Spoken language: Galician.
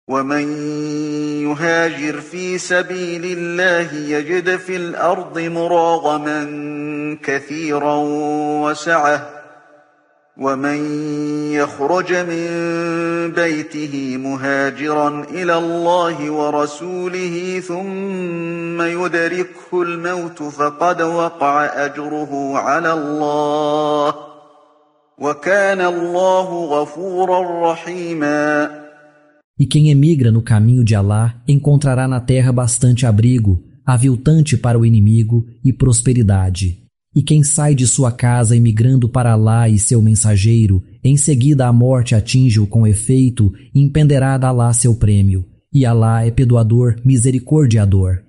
ومن يهاجر في سبيل الله يجد في الأرض مراغما كثيرا وسعة ومن يخرج من بيته مهاجرا إلى الله ورسوله ثم يدركه الموت فقد وقع أجره على الله وكان الله غفورا رحيما. E quem emigra no caminho de Alá encontrará na terra bastante abrigo, aviltante para o inimigo e prosperidade. E quem sai de sua casa emigrando para Alá e seu mensageiro, em seguida a morte atinge-o com efeito, impenderá de Alá seu prêmio. E Alá é perdoador, misericordiador.